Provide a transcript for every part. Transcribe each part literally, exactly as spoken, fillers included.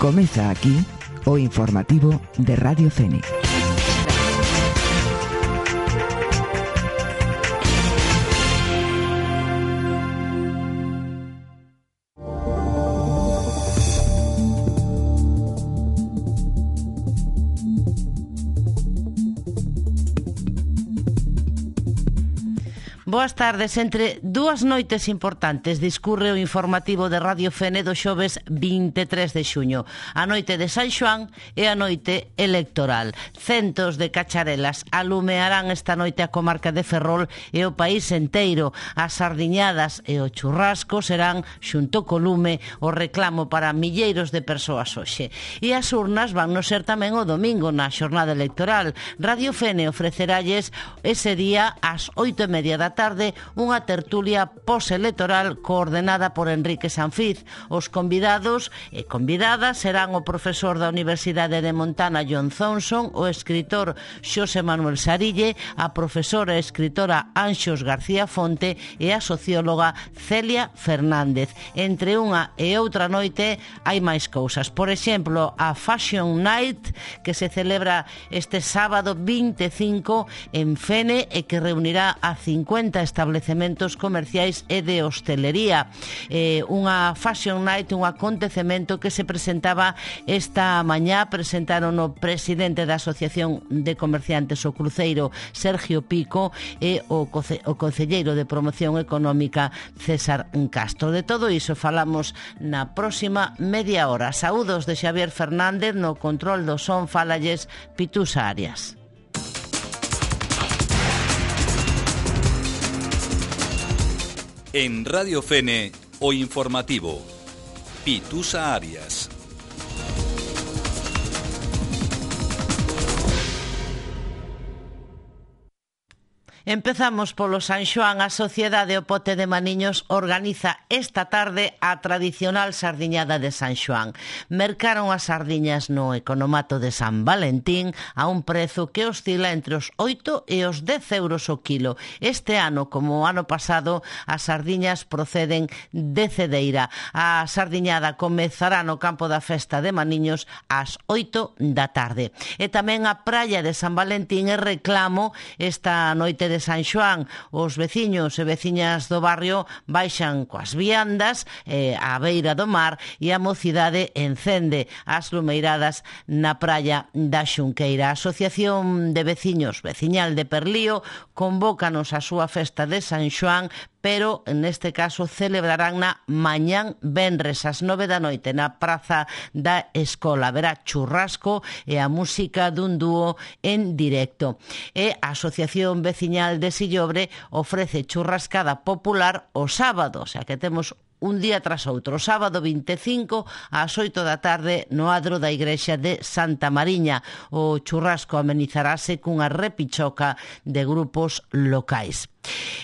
Comeza aquí o informativo de Radio Fene. Boas tardes. Entre dúas noites importantes discurre o informativo de Radio Fene do xoves vinte e tres de xuño. A noite de San Xoán e a noite electoral. Centos de cacharelas alumearán esta noite a comarca de Ferrol e o país enteiro. As sardiñadas e o churrasco serán, xunto co lume, o reclamo para milleiros de persoas hoxe. E as urnas van no ser tamén o domingo na xornada electoral. Radio Fene ofreceralles ese día ás oito e media da tarde tarde unha tertulia postelectoral coordenada por Enrique Sanfiz. Os convidados e convidadas serán o profesor da Universidade de Montana John Thompson, o escritor Xosé Manuel Sarille, a profesora e escritora Anxos García Fonte e a socióloga Celia Fernández. Entre unha e outra noite hai máis cousas. Por exemplo, a Fashion Night, que se celebra este sábado vinte e cinco en Fene e que reunirá a cincuenta establecementos comerciais e de hostelería. Eh, unha Fashion Night, un acontecemento que se presentaba esta mañá. Presentaron o presidente da Asociación de Comerciantes o Cruceiro, Sergio Pico, e o, conce- o concelleiro de Promoción Económica, César Castro. De todo iso falamos na próxima media hora. Saúdos de Xavier Fernández, no control do son falalles Pitusa Arias. En Radio Fene, o informativo, Pitusa Arias. Empezamos polo San Xoán. A Sociedade O Pote de Maniños organiza esta tarde a tradicional sardiñada de San Xoán. Mercaron as sardiñas no economato de San Valentín a un prezo que oscila entre os oito e os dez euros o kilo. Este ano, como o ano pasado, as sardiñas proceden de Cedeira. A sardiñada comezará no campo da festa de Maniños ás oito da tarde. E tamén a praia de San Valentín e reclamo esta noite de San Xoán. Os veciños e veciñas do barrio baixan coas viandas eh, á beira do mar e a mocidade encende as lumeiradas na praia da Xunqueira. A Asociación de Veciños Veciñal de Perlío convócanos a súa festa de San Xoán, pero neste caso celebrarán na mañán venres ás nove da noite na Praza da Escola. Haberá churrasco e a música dun dúo en directo. E a Asociación Veciñal de Sillobre ofrece churrascada popular o sábado, o sea que temos un día tras outro. Sábado vinte e cinco ás oito da tarde no adro da igrexa de Santa Mariña. O churrasco amenizarase cunha repichoca de grupos locais.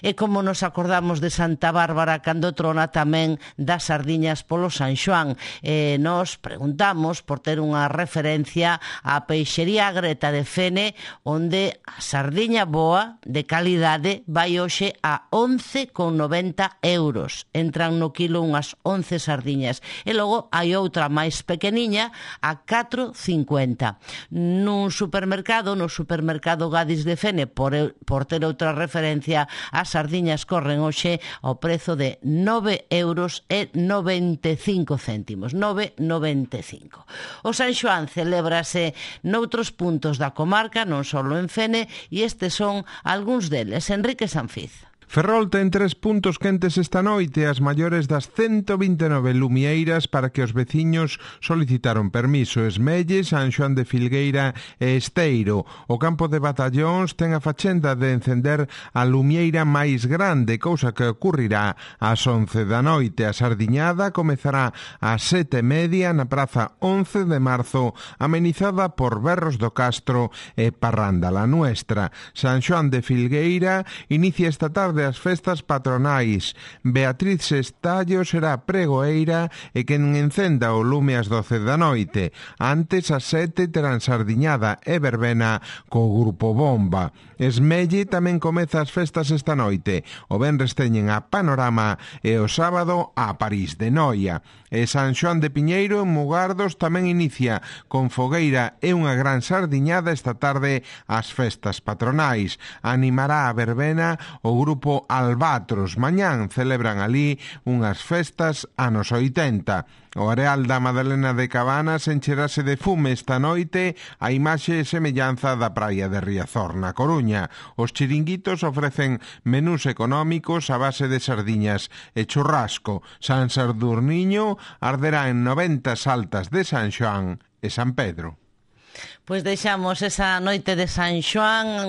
E como nos acordamos de Santa Bárbara cando trona, tamén das sardiñas polo San Xoán. E nos preguntamos por ter unha referencia á peixería Greta de Fene, onde a sardiña boa, de calidade, vai hoxe a once con noventa euros. Entran no kilo unhas once sardiñas. E logo hai outra máis pequeniña a catro cincuenta. Nun supermercado, no supermercado Gadis de Fene, por, por ter outra referencia, as sardiñas corren hoxe ao prezo de nove euros e noventa e cinco céntimos. nove noventa e cinco. O San Xoán celébrase noutros puntos da comarca, non só en Fene, e estes son algúns deles. Enrique Sanfiz. Ferrol ten tres puntos quentes esta noite, as maiores das ciento vinte e nove lumieiras para que os veciños solicitaron permiso. Esmelle, San Xoán de Filgueira e Esteiro. O campo de Batallóns ten a fachenda de encender a lumieira máis grande, cousa que ocurrirá ás once da noite. A sardiñada comezará ás sete e media na Praza once de marzo, amenizada por Berros do Castro e Parranda la Nuestra. San Xoán de Filgueira inicia esta tarde tarde as festas patronais. Beatriz Estallo será pregoeira e quen encenda o lume ás doce da noite. Antes, ás sete, terán sardiñada e verbena co grupo Bomba. Esmelle tamén comeza as festas esta noite. O venres teñen a Panorama e o sábado a París de Noia. E San Xoán de Piñeiro en Mugardos tamén inicia con fogueira e unha gran sardiñada esta tarde ás festas patronais. Animará a verbena o grupo Albatros. Mañán celebran ali unhas festas anos oitenta. O areal da Madalena de Cabanas encherase de fume esta noite a imaxe e semellanza da praia de Riazor na Coruña. Os chiringuitos ofrecen menús económicos a base de sardiñas e churrasco. San Sadurniño arderá en noventa saltas de San Xoán e San Pedro. Pois deixamos esa noite de San Xoán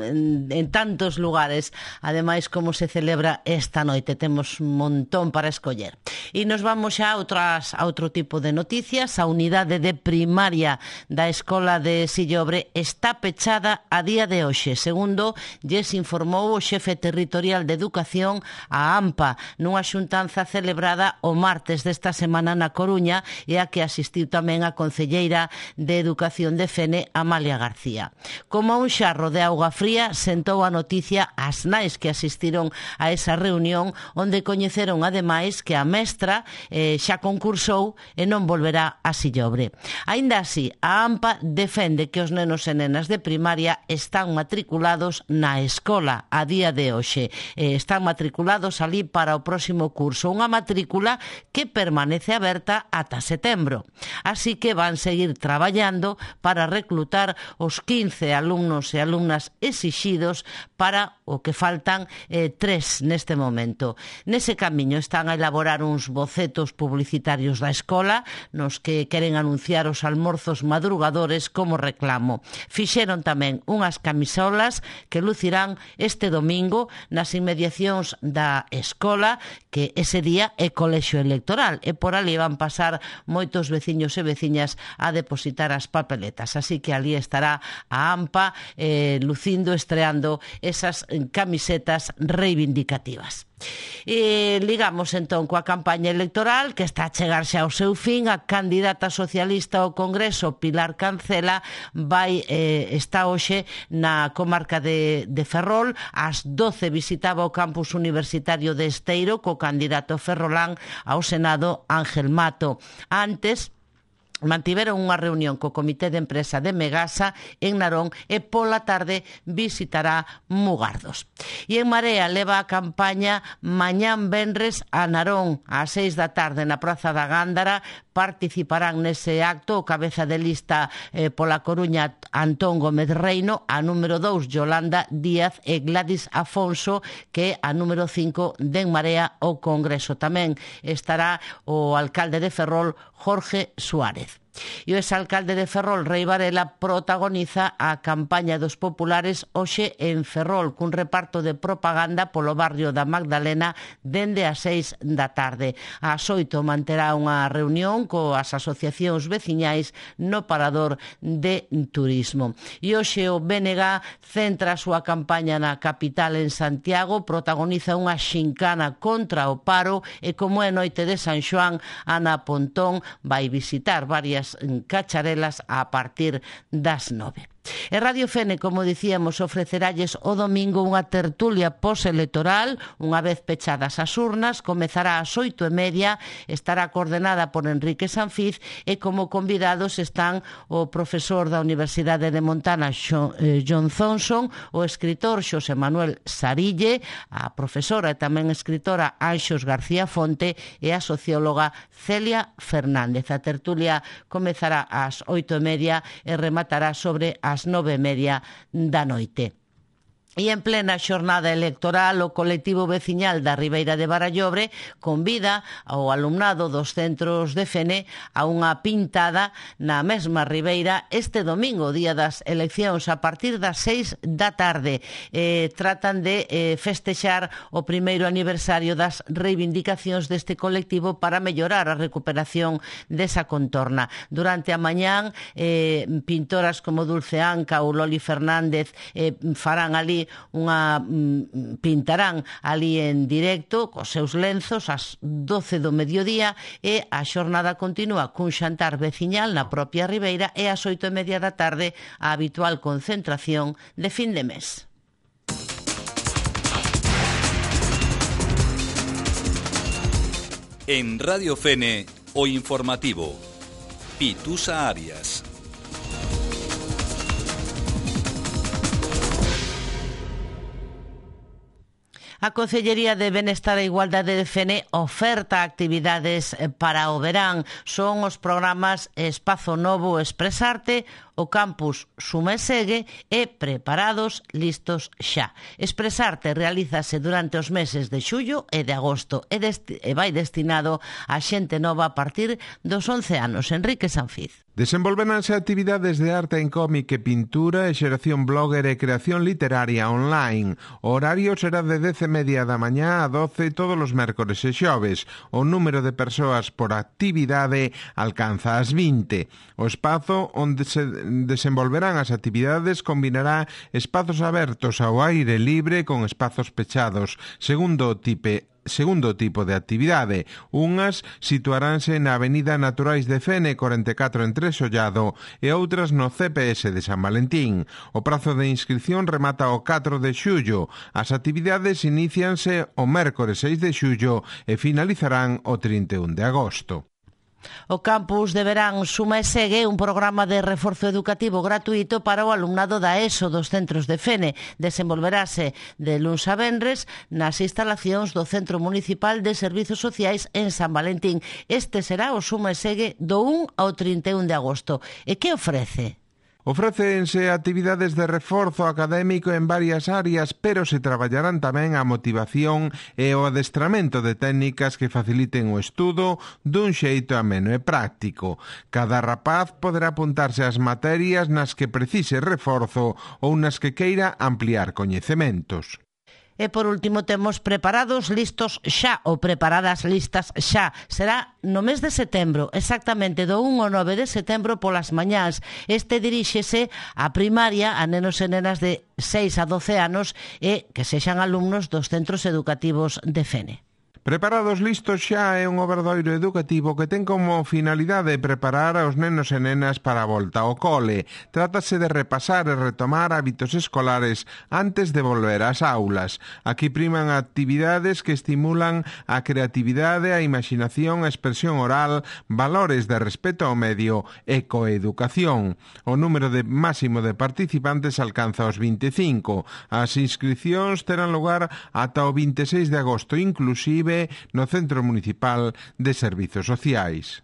en, en tantos lugares. Ademais, como se celebra esta noite, temos un montón para escoller. E nos vamos xa a, outras, a outro tipo de noticias. A unidade de primaria da Escola de Sillobre está pechada a día de hoxe, segundo lles informou o xefe territorial de Educación, a AMPA, nunha xuntanza celebrada o martes desta semana na Coruña e a que asistiu tamén a concelleira de Educación de Fene, Amalia García. Como un xarro de auga fría, sentou a noticia as nais que asistiron a esa reunión, onde coñeceron ademais que a mestra eh, xa concursou e non volverá a Sillobre. Aínda así, a AMPA defende que os nenos e nenas de primaria están matriculados na escola a día de hoxe. Eh, están matriculados ali para o próximo curso, unha matrícula que permanece aberta ata setembro. Así que van seguir traballando para para reclutar os quince alumnos e alumnas exixidos para o que faltan eh, tres neste momento. Nese camiño están a elaborar uns bocetos publicitarios da escola nos que queren anunciar os almorzos madrugadores como reclamo. Fixeron tamén unhas camisolas que lucirán este domingo nas inmediacións da escola, que ese día é colexio electoral e por ali van pasar moitos veciños e veciñas a depositar as papeletas. Así que ali estará a AMPA eh, lucindo, estreando esas camisetas reivindicativas. E ligamos entón coa campaña electoral que está a chegarse ao seu fin. A candidata socialista ao Congreso, Pilar Cancela, vai eh, está hoxe na comarca de, de Ferrol. Ás doce visitaba o campus universitario de Esteiro co candidato ferrolán ao Senado, Ángel Mato. Antes mantiveron unha reunión co Comité de Empresa de Megasa en Narón e pola tarde visitará Mugardos. E en Marea leva a campaña mañán venres a Narón ás seis da tarde na Praza da Gándara. Participarán nese acto o cabeza de lista eh, pola Coruña, Antón Gómez Reino, a número dous Yolanda Díaz e Gladys Afonso, que a número cinco de En Marea o Congreso. Tamén estará o alcalde de Ferrol, Jorge Suárez. E o exalcalde de Ferrol, Rei Varela, protagoniza a campaña dos populares hoxe en Ferrol, cun reparto de propaganda polo barrio da Magdalena dende as seis da tarde. Ás oito manterá unha reunión coas asociacións veciñais no Parador de Turismo. E hoxe o B N G centra a súa campaña na capital, en Santiago, protagoniza unha xincana contra o paro e, como é noite de San Xoán, Ana Pontón vai visitar varias cacharelas a partir das nove. E Radio Fene, como dicíamos, ofreceralles o domingo unha tertulia postelectoral. Unha vez pechadas as urnas, comezará ás oito e media, estará coordenada por Enrique Sanfiz e como convidados están o profesor da Universidade de Montana, John Thompson, o escritor Xosé Manuel Sarille, a profesora e tamén escritora Anxos García Fonte e a socióloga Celia Fernández. A tertulia comezará ás oito e media e rematará sobre a ás nove e media da noite. E en plena xornada electoral, o colectivo veciñal da Ribeira de Barallobre convida ao alumnado dos centros de Fene a unha pintada na mesma Ribeira este domingo, día das eleccións, a partir das seis da tarde. Eh, tratan de eh, festexar o primeiro aniversario das reivindicacións deste colectivo para mellorar a recuperación desa contorna. Durante a mañán, eh, pintoras como Dulce Anca ou Loli Fernández eh, farán ali ali unha mm, pintarán ali en directo cos seus lenzos ás doce do mediodía e a xornada continúa cun xantar veciñal na propia Ribeira e ás oito e media da tarde a habitual concentración de fin de mes. En Radio Fene, o informativo. Pitusa Arias. A Concellería de Benestar e Igualdade de Fene oferta actividades para o verán. Son os programas Espazo Novo Expresarte, o campus Suma e Segue e Preparados Listos Xa. Expresarte realízase durante os meses de xullo e de agosto e, desti- e vai destinado a xente nova a partir dos once anos. Enrique Sanfiz. Desenvolveranse actividades de arte en cómic e pintura e xeración blogger e creación literaria online. O horario será de dez e media da mañá a doce todos os mércores e xoves. O número de persoas por actividade alcanza as vinte. O espazo onde se desenvolverán as actividades combinará espazos abertos ao aire libre con espazos pechados, segundo o tipe Segundo tipo de actividade. Unhas situaránse na Avenida Naturais de Fene corenta e catro en Tresollado e outras no C P S de San Valentín. O prazo de inscripción remata o catro de xullo. As actividades inícianse o mércores seis de xullo e finalizarán o trinta e un de agosto. O campus de verán Suma e Segue, un programa de reforzo educativo gratuito para o alumnado da ESO dos centros de Fene. Desenvolverase de luns a venres nas instalacións do Centro Municipal de Servizos Sociais en San Valentín. Este será o Suma e Segue do un ao trinta e un de agosto. E que ofrece? Ofrécense actividades de reforzo académico en varias áreas, pero se traballarán tamén a motivación e o adestramento de técnicas que faciliten o estudo dun xeito ameno e práctico. Cada rapaz poderá apuntarse ás materias nas que precise reforzo ou nas que queira ampliar coñecementos. E por último temos Preparados Listos Xa, ou Preparadas Listas Xa. Será no mes de setembro, exactamente do un ao nove de setembro polas mañás. Este diríxese á primaria, a nenos e nenas de seis a doce anos e que sexan alumnos dos centros educativos de Fene. Preparados Listos Xa é un obradoiro educativo que ten como finalidade preparar aos nenos e nenas para a volta ao cole. Trátase de repasar e retomar hábitos escolares antes de volver ás aulas. Aquí priman actividades que estimulan a creatividade, a imaginación, a expresión oral, valores de respeto ao medio e coeducación. O número de máximo de participantes alcanza os vinte e cinco. As inscripcións terán lugar ata o vinte e seis de agosto, inclusive no Centro Municipal de Servizos Sociais.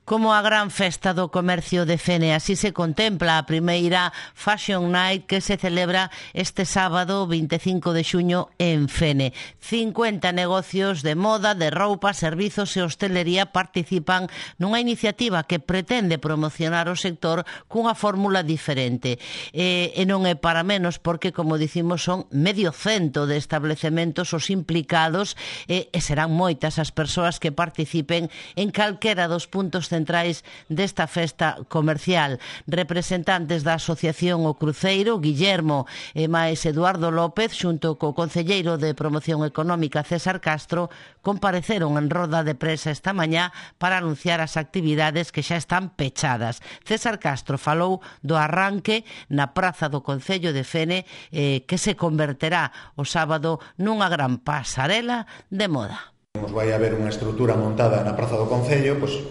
Como a gran festa do comercio de Fene, así se contempla a primeira Fashion Night que se celebra este sábado vinte e cinco de xuño en Fene. cincuenta negocios de moda, de roupa, servizos e hostelería participan nunha iniciativa que pretende promocionar o sector cunha fórmula diferente. E, e non é para menos porque, como dicimos, son medio cento de establecementos os implicados e, e serán moitas as persoas que participen en calquera dos puntos centrais desta festa comercial. Representantes da Asociación O Cruceiro, Guillermo e máis Eduardo López, xunto co concelleiro de Promoción Económica César Castro, compareceron en roda de prensa esta mañá para anunciar as actividades que xa están pechadas. César Castro falou do arranque na Praza do Concello de Fene eh, que se converterá o sábado nunha gran pasarela de moda. Vai haber unha estrutura montada na Praza do Concello, pois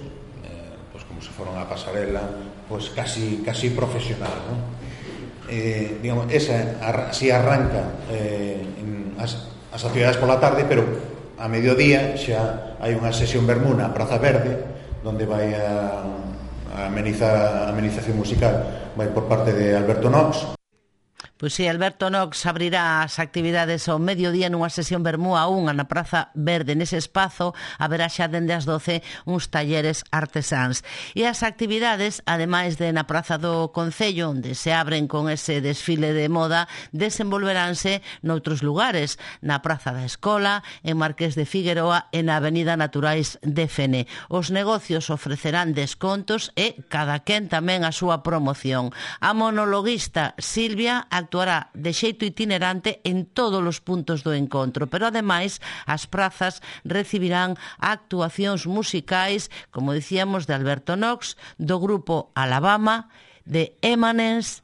se foron a pasarela, pois casi casi profesional, non? Eh, digamos, esa así arranca eh, as, as actividades pola tarde, pero a mediodía xa hai unha sesión vermú na Praza Verde, onde vai a, a amenizar a amenización musical vai por parte de Alberto Nox. Pois si, Alberto Nox abrirá as actividades ao mediodía nunha sesión vermú a unha na Praza Verde. Nese espazo haberá xa dende as doce uns talleres artesáns. E as actividades, ademais de na Praza do Concello, onde se abren con ese desfile de moda, desenvolveránse noutros lugares, na Praza da Escola, en Marqués de Figueroa e na Avenida Naturais de Fene. Os negocios ofrecerán descontos e cada quen tamén a súa promoción. A monologuista Silvia actualizará actuará de xeito itinerante en todos os puntos do encontro, pero ademais as prazas recibirán actuacións musicais, como dicíamos, de Alberto Knox, do grupo Alabama, de Emanence,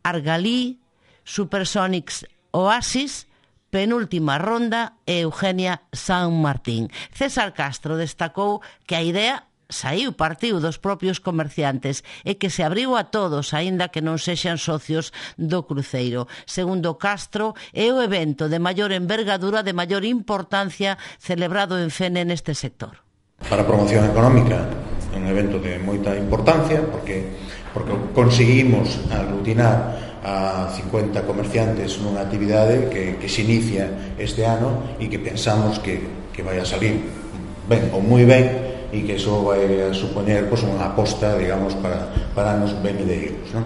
Argalí, Supersonics, Oasis, Penúltima Ronda e Eugenia San Martín. César Castro destacou que a idea saiu partiu dos propios comerciantes e que se abriu a todos, aínda que non sexan socios do cruceiro. Segundo Castro, é o evento de maior envergadura, de maior importancia celebrado en Fene neste sector. Para a promoción económica é un evento de moita importancia porque, porque conseguimos aglutinar a cincuenta comerciantes nunha actividade que, que se inicia este ano e que pensamos que, que vai a salir ben ou moi ben e que iso vai a supoñer pues, unha aposta, digamos, para, para anos venideiros, non?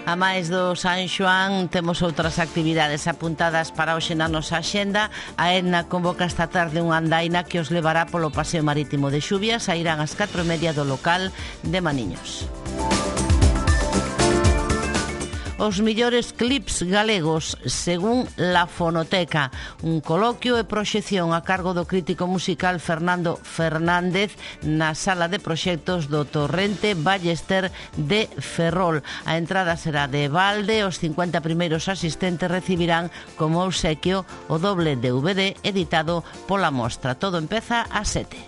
A máis do San Xoán, temos outras actividades apuntadas para hoxe na nosa axenda. A Edna convoca esta tarde unha andaina que os levará polo paseo marítimo de Xuvia. Sairán ás catro e media do local de Maniños. Os millores clips galegos, según La Fonoteca. Un coloquio e proxección a cargo do crítico musical Fernando Fernández na sala de proxectos do Torrente Ballester de Ferrol. A entrada será de balde, os cincuenta primeiros asistentes recibirán como obsequio o doble D V D editado pola Mostra. Todo empeza ás sete.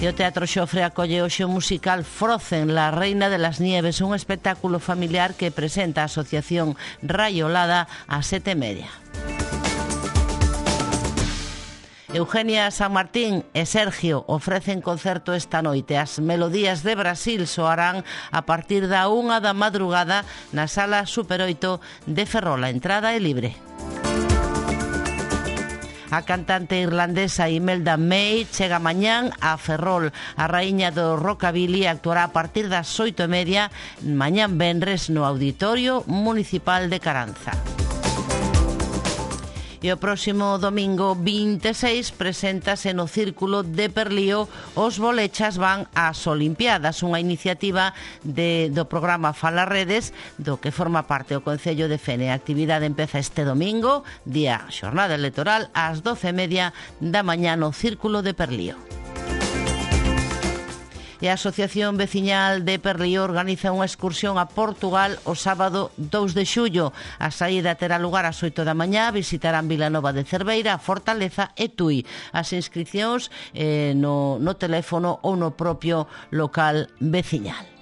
E o Teatro Xofre acolle hoxe o musical Frozen, la reina de las nieves, un espectáculo familiar que presenta a Asociación Rayolada a sete e media. Eugenia San Martín e Sergio ofrecen concerto esta noite. As melodías de Brasil soarán a partir da unha da madrugada na Sala Super oito de Ferrol. A entrada é libre. A cantante irlandesa Imelda May chega mañán a Ferrol. A raíña do rockabilly actuará a partir das oito e media mañán venres no Auditorio Municipal de Caranza. E o próximo domingo vinte e seis preséntase no Círculo de Perlío Os Bolechas van ás Olimpiadas, unha iniciativa de, do programa Fala Redes, do que forma parte o Concello de Fene. A actividade empeza este domingo, día xornada electoral, ás doce e media da mañá no Círculo de Perlío. E a Asociación Veciñal de Perlío organiza unha excursión a Portugal o sábado dous de xullo. A saída terá lugar ás oito da mañá, visitarán Vilanova de Cerveira, Fortaleza e Tui. As inscripcións eh, no, no teléfono ou no propio local veciñal.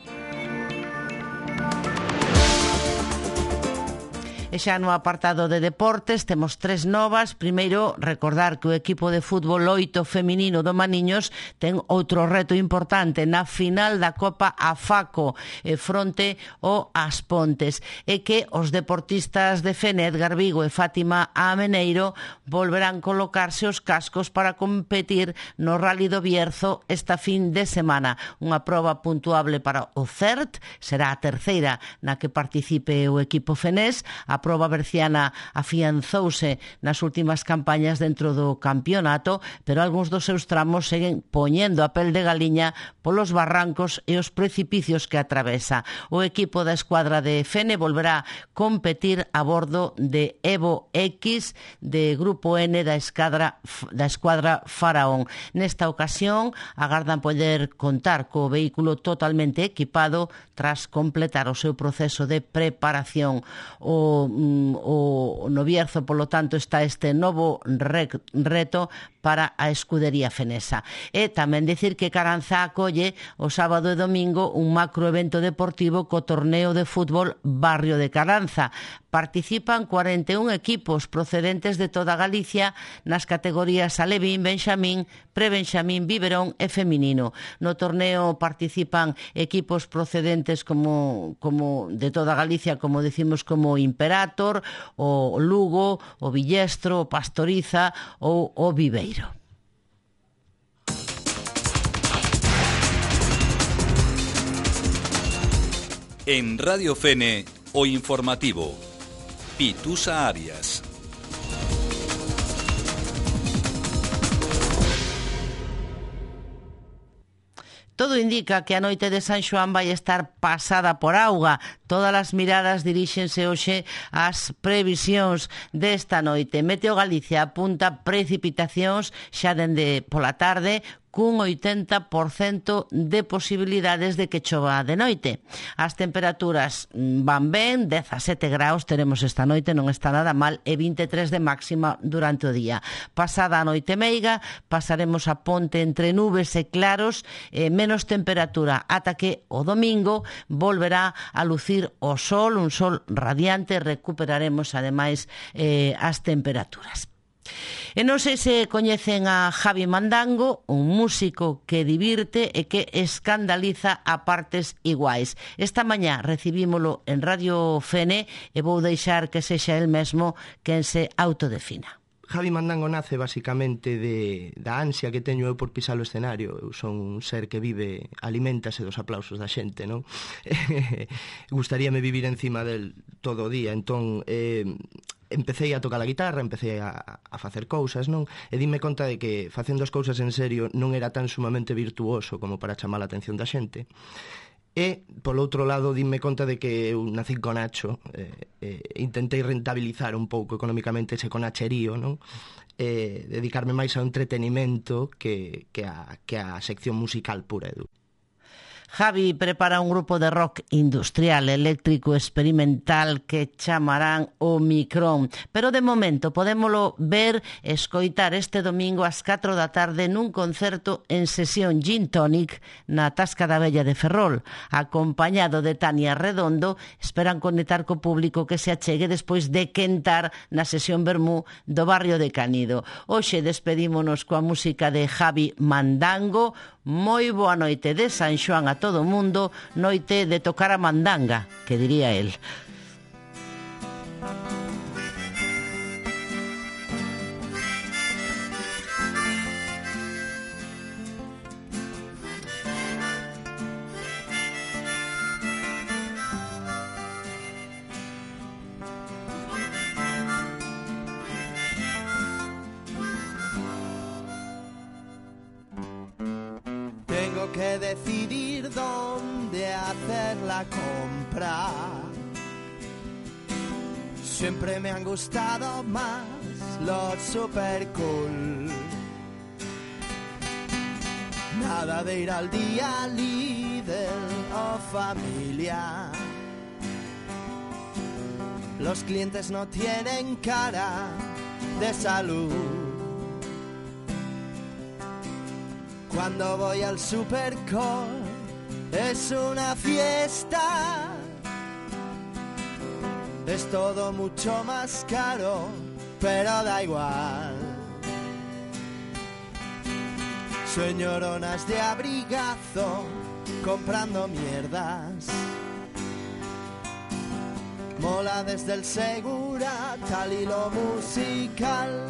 E xa no apartado de deportes temos tres novas. Primeiro, recordar que o equipo de fútbol oito feminino do Maniños ten outro reto importante na final da Copa AFACO eh, fronte ao As Pontes, e que os deportistas de Fene, Edgar Vigo e Fátima Ameneiro, volverán colocarse os cascos para competir no Rally do Bierzo esta fin de semana. Unha proba puntuable para o C E R T, será a terceira na que participe o equipo fenés. A proba berciana afianzouse nas últimas campañas dentro do campeonato, pero algúns dos seus tramos seguen poñendo a pel de galiña polos barrancos e os precipicios que atravesa. O equipo da escuadra de Fene volverá competir a bordo de Evo X de Grupo N da escuadra, da escuadra Faraón. Nesta ocasión agardan poder contar co vehículo totalmente equipado tras completar o seu proceso de preparación. O O, no Bierzo, polo tanto, está este novo reto para a escudería fenesa. E tamén dicir que Caranza acolle o sábado e domingo un macroevento deportivo co torneo de fútbol Barrio de Caranza. Participan cuarenta e un equipos procedentes de toda Galicia nas categorías alevín, benxamín, prebenxamín, biberón e feminino. No torneo participan equipos procedentes como, como de toda Galicia, como decimos, como Imperator, o Lugo, o Villestro, o Pastoriza ou o Viveiro. En Radio Fene, o informativo. Pitusa Arias. Todo indica que a noite de San Xoán vai estar pasada por auga. Todas as miradas diríxense hoxe ás previsións desta noite. Meteo Galicia apunta precipitacións xa dende pola tarde, cun oitenta por cento de posibilidades de que chova de noite. As temperaturas van ben, dezasete graus teremos esta noite, non está nada mal, e vinte e tres de máxima durante o día. Pasada a noite meiga, pasaremos a ponte entre nubes e claros, e menos temperatura, ata que o domingo volverá a lucir o sol, un sol radiante, recuperaremos ademais eh, as temperaturas. E non sei se coñecen a Javi Mandango, un músico que divirte e que escandaliza a partes iguais. Esta mañá recibímolo en Radio Fene e vou deixar que sexa el mesmo quen se autodefina. Javi Mandango nace basicamente de, da ansia que teño eu por pisar o escenario. Eu son un ser que vive, aliméntase dos aplausos da xente, non? Gustaríame vivir encima del todo o día, entón... Eh, empecé a tocar a guitarra, empecé a, a facer cousas, non? E dime conta de que facendo as cousas en serio non era tan sumamente virtuoso como para chamar a atención da xente. E, polo outro lado, dime conta de que eu nací con Nacho, eh, eh, intentei rentabilizar un pouco económicamente ese conacherío, non? Eh, dedicarme máis ao entretenimento que, que, a, que a sección musical pura e dura. Javi prepara un grupo de rock industrial, eléctrico, experimental que chamarán o Micrón. Pero de momento podémolo ver e escoitar este domingo ás catro da tarde nun concerto en sesión Gin Tonic na Tasca da Vella de Ferrol. Acompañado de Tania Redondo, esperan conectar co público que se achegue despois de quentar na sesión Vermú do barrio de Canido. Hoxe despedímonos coa música de Javi Mandango. Moi boa noite de San Xoán a todo o mundo, noite de tocar a mandanga, que diría el. Que decidir dónde hacer la compra. Siempre me han gustado más los super cool. Nada de ir al día líder o familia. Los clientes no tienen cara de salud. Cuando voy al Supercore es una fiesta. Es todo mucho más caro, pero da igual. Señoronas de abrigazo comprando mierdas. Mola desde el Segura tal y lo musical.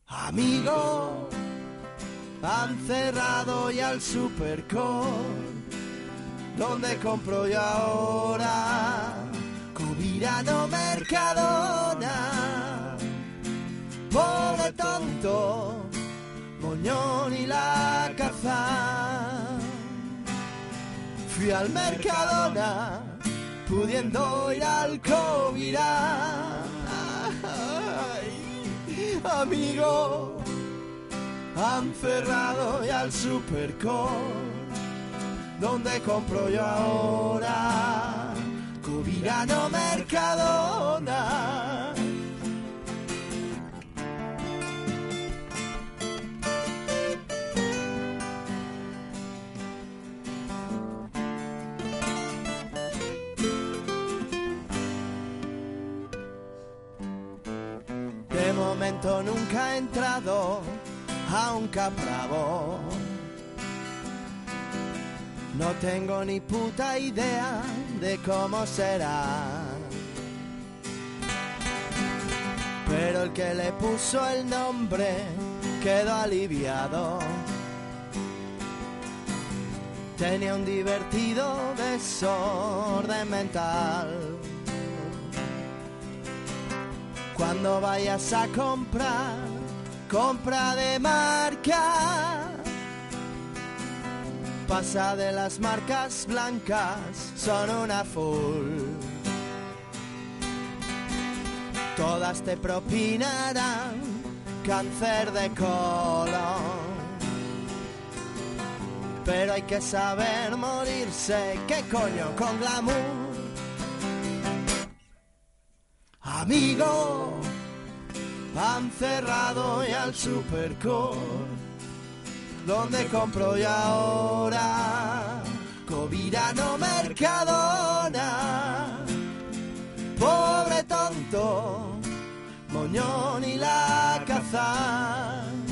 Amigo, han cerrado ya el Supercore. ¿Dónde compro yo ahora? Covirano, Mercadona. Pobre tonto, Moñón y la Cazán. Fui al Mercadona, pudiendo ir al Covirán. Amigo, han cerrado ya el Supercore. ¿Dónde compro yo ahora? Covirano, Mercadona. De momento nunca he entrado a un Capravo. No tengo ni puta idea de cómo será. Pero el que le puso el nombre quedó aliviado. Tenía un divertido desorden mental. Cuando vayas a comprar, compra de marca. pasa de las marcas blancas, son una full. Todas te propinarán cáncer de colon, pero hay que saber morirse, ¿qué coño? Con glamour. Amigo, han cerrado ya el Supercore, ¿dónde compro yo ahora? Covirano, Mercadona. Pobre tonto, Moñón y la Cazán.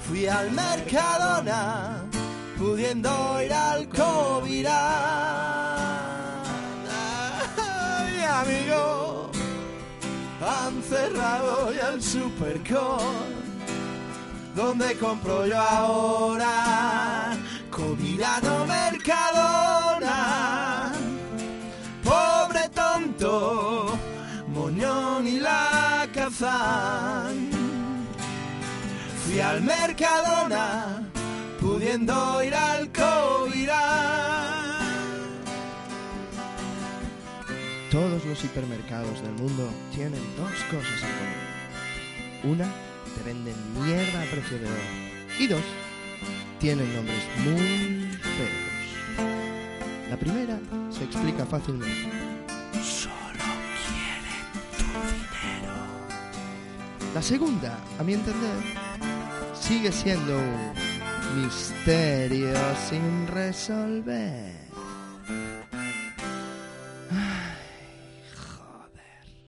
Fui al Mercadona, pudiendo ir al Covirán. Ay, amigo, han cerrado ya el Supercore, ¿dónde compro yo ahora? Covirano, Mercadona. Pobre tonto, Moñón y la Cazán. Fui al Mercadona, pudiendo ir al Covirán. Todos los hipermercados del mundo tienen dos cosas en común. Una, te venden mierda a precio de oro. Y dos, tienen nombres muy feos. La primera se explica fácilmente. Solo quieren tu dinero. La segunda, a mi entender, sigue siendo un misterio sin resolver.